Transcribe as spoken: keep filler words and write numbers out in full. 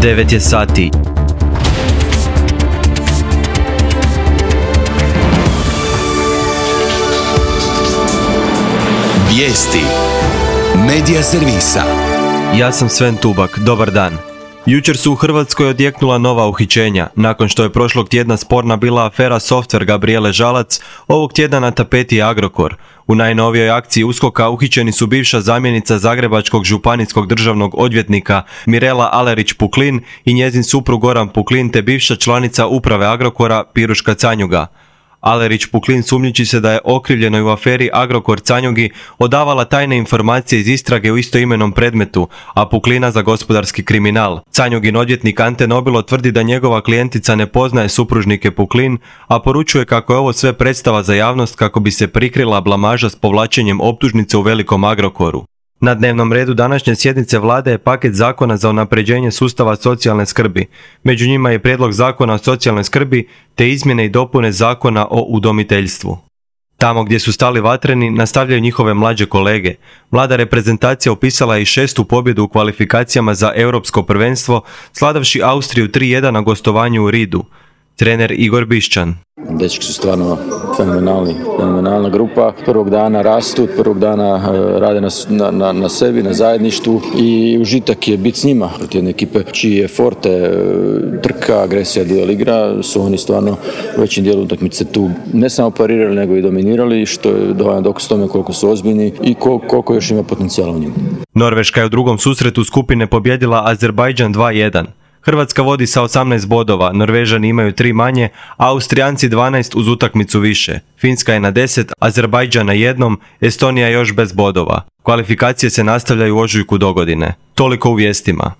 devet je sati. Vijesti Medija servisa. Ja sam Sven Tubak, dobar dan. Jučer su u Hrvatskoj odjeknula nova uhićenja. Nakon što je prošlog tjedna sporna bila afera Softver Gabrijele Žalac, ovog tjedna na tapeti je Agrokor. U najnovijoj akciji USKOK-a uhićeni su bivša zamjenica Zagrebačkog županijskog državnog odvjetnika Mirela Alerić-Puklin i njezin suprug Goran Puklin te bivša članica uprave Agrokora Piruška Canjuga. Alerić-Puklin sumnjiči se da je okrivljenoj u aferi Agrokor Canjugi odavala tajne informacije iz istrage u istoimenom predmetu, a Puklina za gospodarski kriminal. Canjugin odvjetnik Ante Nobilo tvrdi da njegova klijentica ne poznaje supružnike Puklin, a poručuje kako je ovo sve predstava za javnost kako bi se prikrila blamaža s povlačenjem optužnice u velikom Agrokoru. Na dnevnom redu današnje sjednice vlade je paket zakona za unapređenje sustava socijalne skrbi. Među njima je prijedlog zakona o socijalnoj skrbi te izmjene i dopune zakona o udomiteljstvu. Tamo gdje su stali vatreni nastavljaju njihove mlađe kolege. Mlada reprezentacija upisala je i šestu pobjedu u kvalifikacijama za europsko prvenstvo, sladavši Austriju tri jedan na gostovanju u Ridu. Trener Igor Bišćan. Dečki su stvarno fenomenalni, fenomenalna grupa. Prvog dana rastu, prvog dana rade na, na, na sebi, na zajedništvu i užitak je biti s njima. Protiv jedne ekipe čiji je forte, trka, agresija, duel igra, su oni stvarno u većem dijelu utakmice tu ne samo parirali, nego i dominirali, što je dovoljno dokaz tome koliko su ozbiljni i koliko još ima potencijala u njima. Norveška je u drugom susretu skupine pobjedila Azerbajdžan dva jedan. Hrvatska vodi sa osamnaest bodova, Norvežani imaju tri manje, a Austrijanci dvanaest uz utakmicu više. Finska je na deset, Azerbajdžan na jednom, Estonija još bez bodova. Kvalifikacije se nastavljaju u ožujku dogodine. Toliko u vijestima.